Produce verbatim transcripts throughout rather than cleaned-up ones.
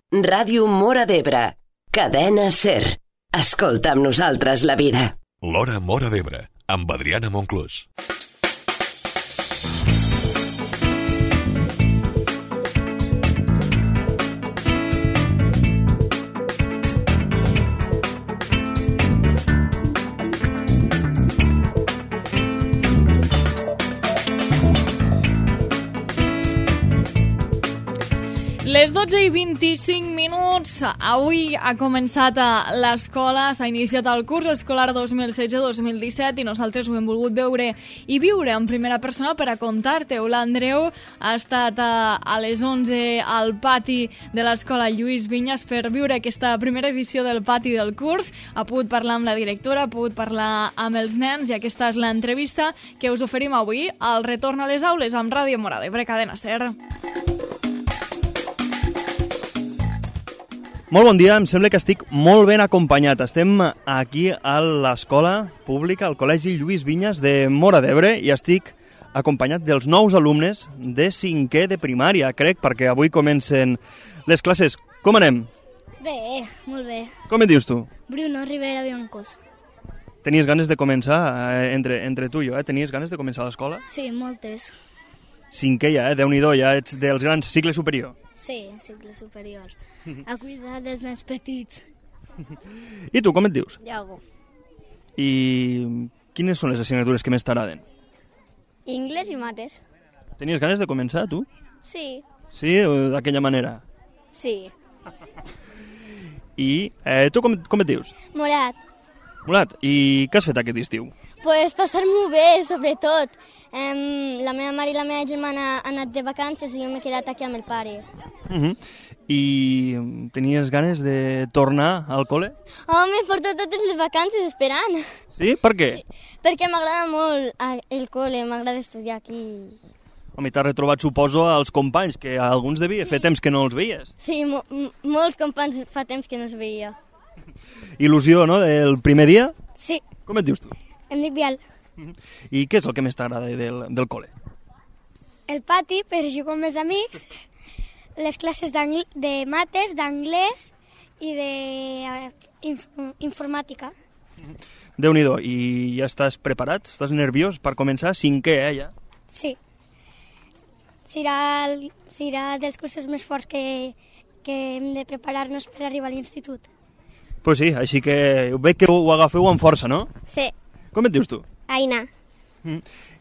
Ràdio Móra d'Ebre. Cadena SER. Escolta amb nosaltres la vida. L'Hora Móra d'Ebre, amb Adriana Monclús. Les dotze i vint-i-cinc minuts, avui ha començat a l'escola, s'ha iniciat el curs escolar dos mil setze dos mil disset i nosaltres ho hem volgut veure i viure en primera persona per a contar-te-ho. L'Andreu ha estat a, a les onze al pati de l'escola Lluís Vinyes per viure aquesta primera edició del pati del curs. Ha pogut parlar amb la directora, ha pogut parlar amb els nens i aquesta és l'entrevista que us oferim avui al retorn a les aules amb Ràdio Móra d'Ebre, Cadena SER. Molt bon dia, em sembla que estic molt ben acompanyat. Estem aquí a l'escola pública, al Col·legi Lluís Vinyes de Móra d'Ebre i estic acompanyat dels nous alumnes de cinquè de primària, crec, perquè avui comencen les classes. Com anem? Bé, molt bé. Com et dius tu? Bruno Rivera Biancos. Tenies ganes de començar, eh, entre, entre tu i jo, eh? Tenies ganes de començar l'escola? Sí, moltes. Cinquè ja, eh? Déu-n'hi-do, ja ets dels grans, cicle superior. Sí, cicle superior. A cuidar dels més petits. I tu, com et dius? Iago. I quines són les assignatures que més t'agraden? Anglès i mates. Tenies ganes de començar, tu? Sí. Sí, d'aquella manera. Sí. I eh, tu com, com et dius? Morat. Morat, i què has fet aquest estiu? Pues passar-m'ho bé, sobretot. Um, la meva mare i la meva germana han anat de vacances i jo m'he quedat aquí amb el pare. Uh-huh. I tenies ganes de tornar al col·le? Home, porto totes les vacances esperant. Sí? Per què? Sí, perquè m'agrada molt el col·le, m'agrada estudiar aquí. Home, t'has retrobat, suposo, als companys, que alguns devia fer temps que no els veies. Sí, mo molts companys fa temps que no els veia. Il·lusió, no?, del primer dia? Sí. Com et dius tu? Em dic Bial. Uh-huh. I què és el que més t'agrada del, del col·le? El pati per jugar amb els amics, les classes de mates, d'anglès i d'informàtica. Uh-huh. Déu-n'hi-do, i ja estàs preparat? Estàs nerviós per començar? Cinquè, eh, ja? Sí. Serà, el, serà dels cursos més forts que, que hem de preparar-nos per arribar a l'institut. Pues sí, així que veig que ho agafeu amb força, no? Sí. Com et dius tu? Aina. Mm.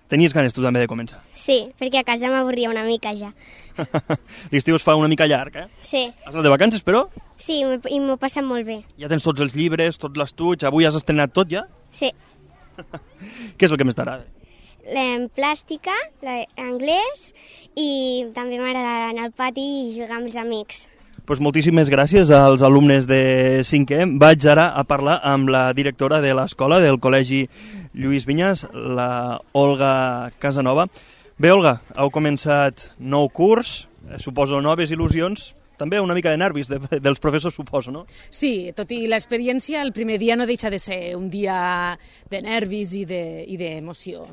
Tenies ganes tu també de començar? Sí, perquè a casa m'avorria una mica ja. L'estiu es fa una mica llarg, eh? Sí. Has anat de vacances, però? Sí, i m'ho passa molt bé. Ja tens tots els llibres, tot l'estuig, avui has estrenat tot ja? Sí. Què és el que més t'agrada? La plàstica, l'anglès i també m'agrada anar al pati i jugar amb els amics. Pues moltíssimes gràcies als alumnes de cinquè. Vaig ara a parlar amb la directora de l'escola del Col·legi Lluís Vinyes, la Olga Casanova. Bé, Olga, heu començat nou curs, suposo noves il·lusions, també una mica de nervis de, dels professors, suposo, no? Sí, tot i l'experiència, el primer dia no deixa de ser un dia de nervis i d'emoció.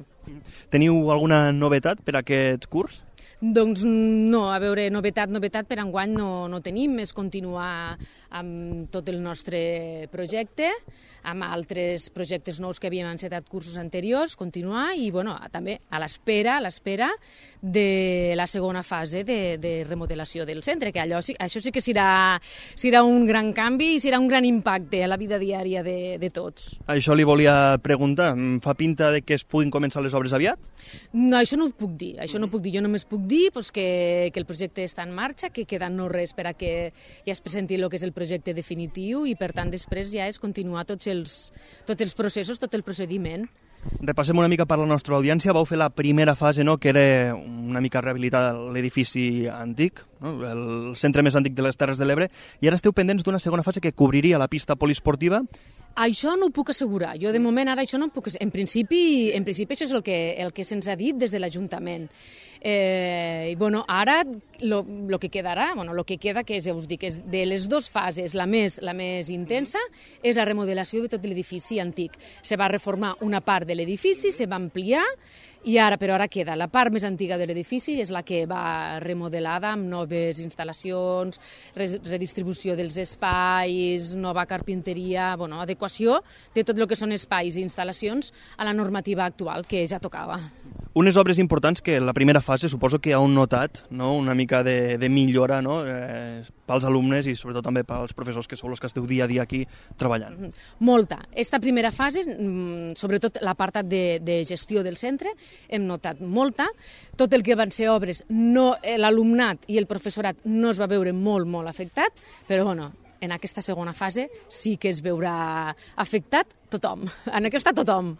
Teniu alguna novetat per aquest curs? Doncs no, a veure, novetat, novetat per enguany no, no tenim, és continuar amb tot el nostre projecte, amb altres projectes nous que havíem encetat cursos anteriors, continuar i bueno, també a l'espera, a l'espera de la segona fase de, de remodelació del centre, que allò, això sí que serà, serà un gran canvi i serà un gran impacte a la vida diària de, de tots. Això li volia preguntar, fa pinta de que es puguin començar les obres aviat? No, això no ho puc dir, això no ho puc dir, jo només puc dir pues, que, que el projecte està en marxa, que queda no res per a que ja es presenti el que és el projecte definitiu i per tant després ja és continuar tots els, tots els processos, tot el procediment. Repassem una mica per la nostra audiència. Vau fer la primera fase, no?, que era una mica rehabilitar l'edifici antic, no?, el centre més antic de les Terres de l'Ebre, i ara esteu pendents d'una segona fase que cobriria la pista poliesportiva. Això no ho puc assegurar. Jo, de moment, ara això no ho puc... En principi, en principi això és el que, el que se'ns ha dit des de l'Ajuntament. Eh, I bueno, ara el que quedarà, bueno, el que queda, que és, ja us dic, és de les dues fases, la més, la més intensa, és la remodelació de tot l'edifici antic. Se va reformar una part de l'edifici, se va ampliar, i ara, però ara queda la part més antiga de l'edifici, és la que va remodelada amb noves instal·lacions, redistribució dels espais, nova carpinteria, bueno, adequació de tot el que són espais i instal·lacions a la normativa actual, que ja tocava. Unes obres importants que en la primera fase suposo que heu notat, no? Una mica de, de millora, no? eh, pels alumnes i sobretot també pels professors que sou els que esteu dia a dia aquí treballant. Molta. Esta primera fase, sobretot l'apartat de, de gestió del centre, hem notat molta. Tot el que van ser obres, no, l'alumnat i el professorat no es va veure molt, molt afectat, però bueno, en aquesta segona fase sí que es veurà afectat tothom. En aquesta tothom.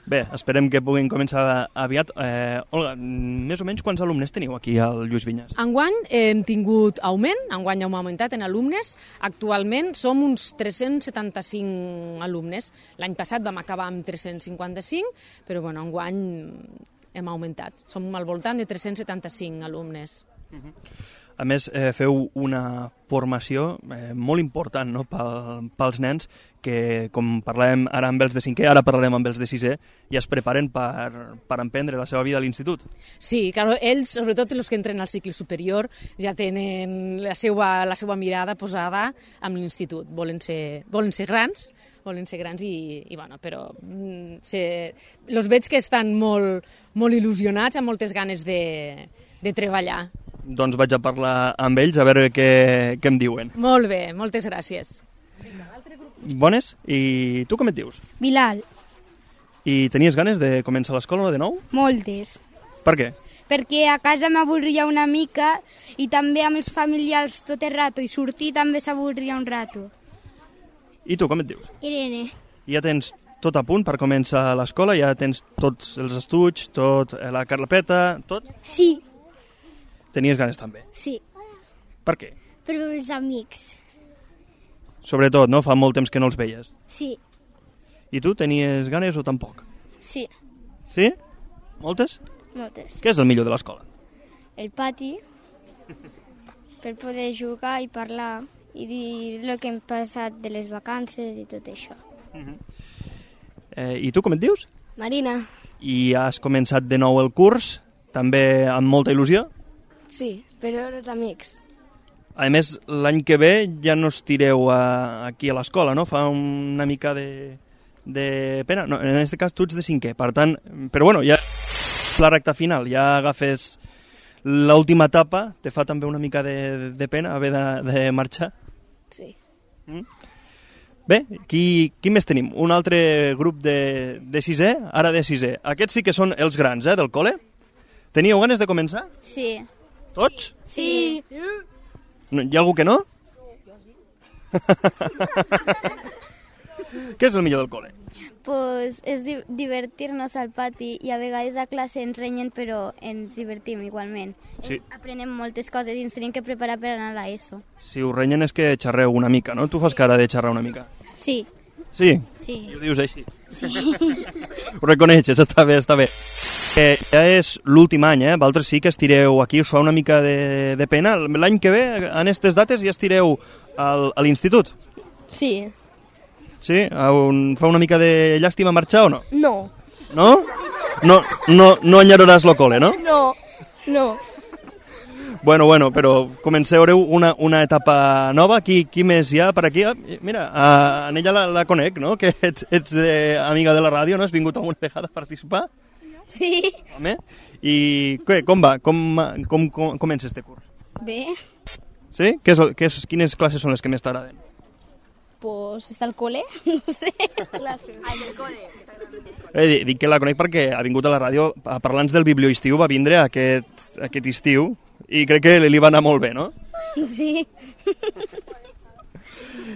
Bé, esperem que puguin començar aviat. Eh, Olga, més o menys quants alumnes teniu aquí al Lluís Vinyes? Enguany hem tingut augment, enguany hem augmentat en alumnes. Actualment som uns tres-cents setanta-cinc alumnes. L'any passat vam acabar amb tres-cents cinquanta-cinc, però bueno, enguany hem augmentat. Som al voltant de tres-cents setanta-cinc alumnes. Uh-huh. A més, eh, feu una formació eh, molt important, no?, pel, pels nens que, com parlàvem ara amb els de cinquè, ara parlarem amb els de sisè, i es preparen per, per emprendre la seva vida a l'institut. Sí, claro, ells, sobretot els que entren al cicle superior, ja tenen la seva, la seva mirada posada amb l'institut. Volen ser, volen ser grans, volen ser grans i, i bueno, però se, els veig que estan molt, molt il·lusionats, amb moltes ganes de, de treballar. Doncs vaig a parlar amb ells a veure què, què em diuen. Molt bé, moltes gràcies. Bones, i tu com et dius? Bilal. I tenies ganes de començar l'escola de nou? Moltes. Per què? Perquè a casa m'avorria una mica i també amb els familiars tot el rato, i sortir també s'avorria un rato. I tu com et dius? Irene. Ja tens tot a punt per començar l'escola? Ja tens tots els estuts, tot la carpeta, tot? Sí. Tenies ganes també? Sí. Per què? Per veure els amics. Sobretot, no? Fa molt temps que no els veies. Sí. I tu tenies ganes o tampoc? Sí. Sí? Moltes? Moltes. Què és el millor de l'escola? El pati, per poder jugar i parlar i dir el que hem passat de les vacances i tot això. Uh-huh. eh, I tu com et dius? Marina. I has començat de nou el curs, també amb molta il·lusió? Sí, per veure els amics. A més, l'any que ve ja no estireu a, aquí a l'escola, no? Fa una mica de, de pena. No, en aquest cas tu ets de cinquè, per tant... Però bueno, ja la recta final, ja agafes l'última etapa, te fa també una mica de, de pena haver de, de marxar? Sí. Mm? Bé, qui, qui més tenim? Un altre grup de, de sisè, ara de sisè. Aquests sí que són els grans, eh, del col·le. Teníeu ganes de començar? Sí. Tots? Sí. No, hi ha algú que no? Què és el millor del col·le? Pues és di divertir-nos al pati i a vegades a classe ens renyen però ens divertim igualment. Sí. Aprenem moltes coses i ens tenim que preparar per anar a l'ESO. Si us renyen és que xerreu una mica, no? Tu fas cara de xerrar una mica. Sí. Sí? Sí. I ho dius així? Sí. Ho reconeixes, està bé, està bé. Eh, ja és l'últim any, eh? Vosaltres sí que estireu aquí, us fa una mica de, de pena. L'any que ve, en aquestes dates, ja estireu al, a l'institut? Sí. Sí? Un, fa una mica de llàstima marxar o no? No. No? No, no, no enyararàs lo col·le, no? No, no. Bueno, bueno, però comenceu una, una etapa nova. Qui, qui més hi ha per aquí? Ah, mira, a, en ella la, la conec, no? Que ets, ets eh, amiga de la ràdio, no? Has vingut alguna vegada a participar? Sí. Home, i què, com va? Com, com, com comença este curs? Bé. Sí? Què és, què és, quines classes són les que més t'agraden? Pues està al col·le, no sé. Classes. Al col·le. Eh, dic que la conec perquè ha vingut a la ràdio a parlar-nos del biblioestiu, va vindre aquest, aquest estiu i crec que li va anar molt bé, no? Sí.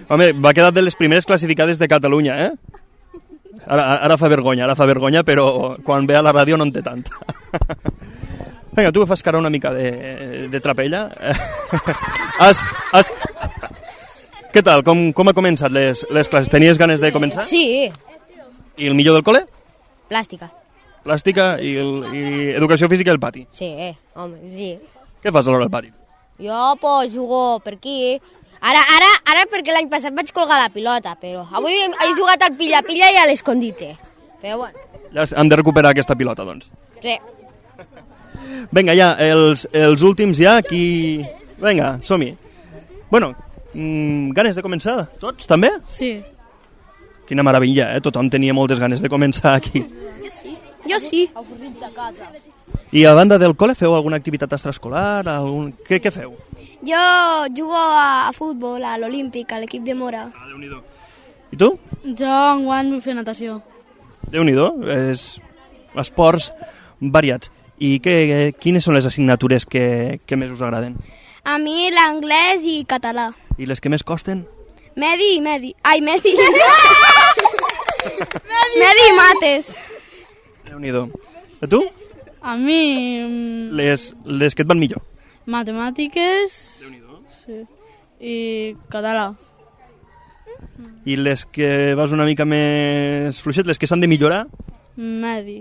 Home, va quedar de les primeres classificades de Catalunya, eh? Ara, ara fa vergonya, ara fa vergonya, però quan ve a la ràdio no en té tanta. Vinga, tu que fas cara una mica de, de trapella. has, has... Què tal? Com, com ha començat les, les classes? Tenies ganes de començar? Sí. I el millor del col·le? Plàstica. plàstica i, i educació física al pati. Sí, home, sí. Què fas a l'hora al pati? Jo, pues, jugo per aquí. Ara, ara, ara perquè l'any passat vaig colgar la pilota, però avui he jugat al pilla-pilla i a l'escondite. Però bueno. Ja hem de recuperar aquesta pilota, doncs. Sí. Vinga, ja, els, els últims ja, qui... Vinga, som-hi. Bueno, mmm, ganes de començar? Tots, també? Sí. Quina meravella, eh? Tothom tenia moltes ganes de començar aquí. Jo sí. Jo sí. Avorrits a casa. I a banda del col·le feu alguna activitat extraescolar? Algun... Què, què feu? Jo jugo a, a futbol, a l'Olímpic, a l'equip de Mora. Ah, Déu-n'hi-do. I tu? Jo enguany vull fer natació. Déu-n'hi-do, és esports variats. I què, quines són les assignatures que, que més us agraden? A mi l'anglès i català. I les que més costen? Medi i medi. Ai, medi. Medi i mates. Déu-n'hi-do. A tu? A mi... mm, Les, les que et van millor. Matemàtiques... Sí. I català. I les que vas una mica més fluixet, les que s'han de millorar? Medi.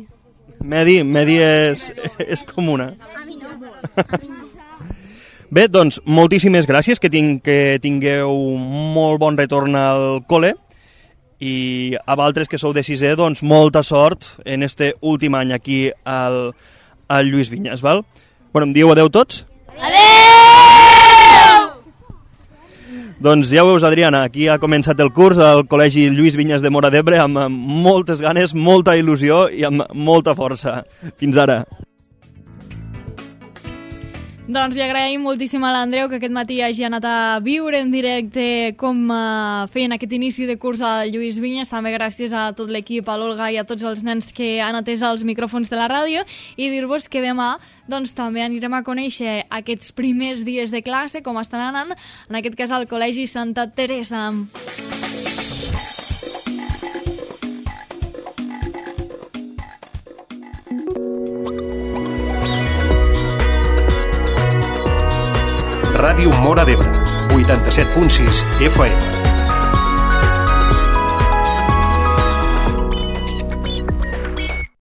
Medi, medi és, és com una. Bé, doncs, moltíssimes gràcies, que, tinc, que tingueu molt bon retorn al col·le i a vosaltres que sou de sisè, doncs, molta sort en este últim any aquí al, al Lluís Vinyes, val? Bueno, em dieu adeu tots? Doncs ja ho veus, Adriana, aquí ha començat el curs al Col·legi Lluís Vinyes de Móra d'Ebre amb moltes ganes, molta il·lusió i amb molta força. Fins ara. Doncs li agraïm moltíssim a l'Andreu que aquest matí hagi anat a viure en directe com uh, feien aquest inici de curs al Lluís Vinyes. També gràcies a tot l'equip, a l'Olga i a tots els nens que han atès els micròfons de la ràdio, i dir-vos que demà doncs, també anirem a conèixer aquests primers dies de classe, com estan anant, en aquest cas al Col·legi Santa Teresa. Ràdio Móra d'Ebre, vuitanta-set punt sis F M.